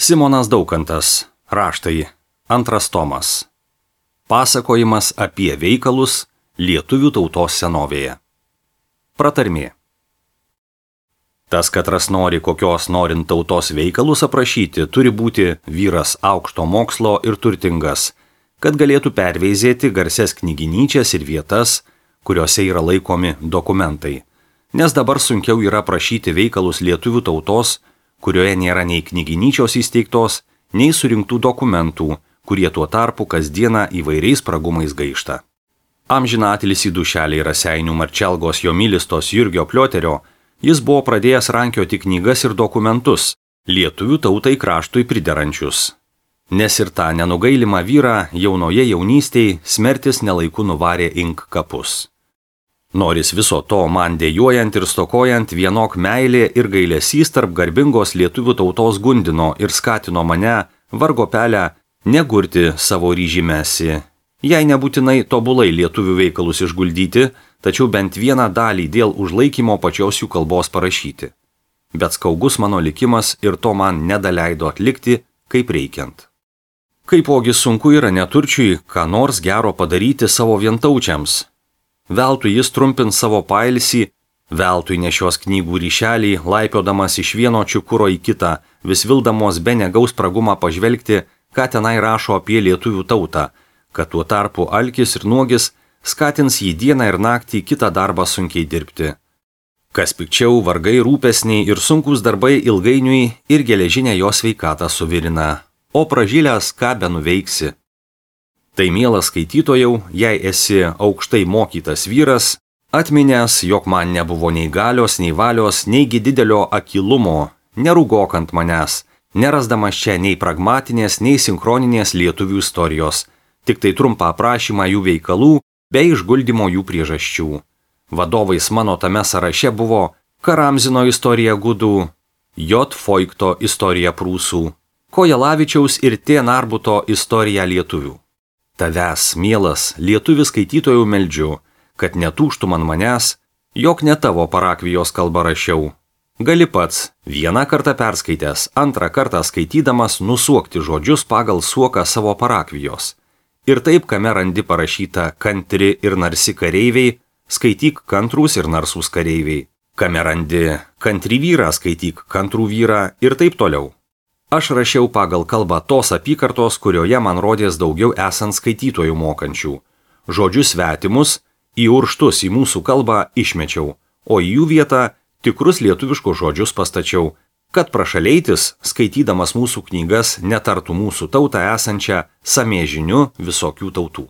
Simonas Daukantas. Raštai. 2 tomas. Pasakojimas apie veikalus lietuvių tautos senovėje. Pratarmė. Tas, katras nori kokios norint tautos veikalus aprašyti, turi būti vyras aukšto mokslo ir turtingas, kad galėtų perveizėti garsias knyginyčias ir vietas, kuriuose yra laikomi dokumentai. Nes dabar sunkiau yra aprašyti veikalus lietuvių tautos, kurioje nėra nei knyginyčios įsteigtos, nei surinktų dokumentų, kurie tuo tarpu kasdieną įvairiais spragumais gaišta. Amžiną atilsį dušelį Raseinių Marčelgos Jomilistos Jurgio Plioterio, jis buvo pradėjęs rankioti knygas ir dokumentus, lietuvių tautai kraštui priderančius. Nes ir tą nenugailimą vyrą jaunoje jaunystėj smertis nelaiku nuvarė ink kapus. Noris viso to man dejuojant ir stokojant vienok meilė ir gailesys tarp garbingos lietuvių tautos gundino ir skatino mane, vargo pelę, negurti savo ryžimesi. Jei nebūtinai tobulai lietuvių veikalus išguldyti, tačiau bent vieną dalį dėl užlaikymo pačios jų kalbos parašyti. Bet skaugus mano likimas ir to man nedaleido atlikti, kaip reikiant. Kaipogi sunku yra neturčiui, ką nors gero padaryti savo vientaučiams. Veltui jis trumpins savo pailsį, veltui nešios knygų ryšelį, laipiodamas iš vieno čiukuro į kitą, vis vildamos be negaus spragumą pažvelgti, ką tenai rašo apie lietuvių tautą, kad tuo tarpu alkis ir nuogis skatins jį dieną ir naktį kitą darbą sunkiai dirbti. Kas pikčiau, vargai, rūpesniai ir sunkus darbai ilgainiui ir geležinę jo sveikatą suvirina. O pražylęs ką benuveiksi. Tai mielas skaitytojau, jei esi aukštai mokytas vyras, atminęs, jog man nebuvo nei galios, nei valios, neigi didelio akylumo, nerūgok ant manęs, nerasdamas čia nei pragmatinės, nei sinchroninės lietuvių istorijos, tik tai trumpą aprašymą jų veikalų bei išguldymo jų priežasčių. Vadovais mano tame sąraše buvo Karamzino istorija gudų, J. Foikto istorija prūsų, Kojelavičiaus ir T. Narbuto istorija lietuvių. Tavęs, mielas, lietuvis skaitytojų meldžiu, kad netūžtų man manęs, jog ne tavo parakvijos kalbą rašiau. Gali pats, vieną kartą perskaitęs, antrą kartą skaitydamas nusuokti žodžius pagal suoką savo parakvijos. Ir taip, kame randi parašyta kantri ir narsi kareiviai, skaityk kantrūs ir narsūs kareiviai. Kame randi kantri vyrą, skaityk kantrų vyrą ir taip toliau. Aš rašiau pagal kalbą tos apykartos, kurioje man rodės daugiau esant skaitytojų mokančių. Žodžius svetimus, įurštus į mūsų kalbą išmečiau, o į jų vietą tikrus lietuviškus žodžius pastačiau, kad prašaleitis, skaitydamas mūsų knygas, netartų mūsų tautą esančią samėžiniu visokių tautų.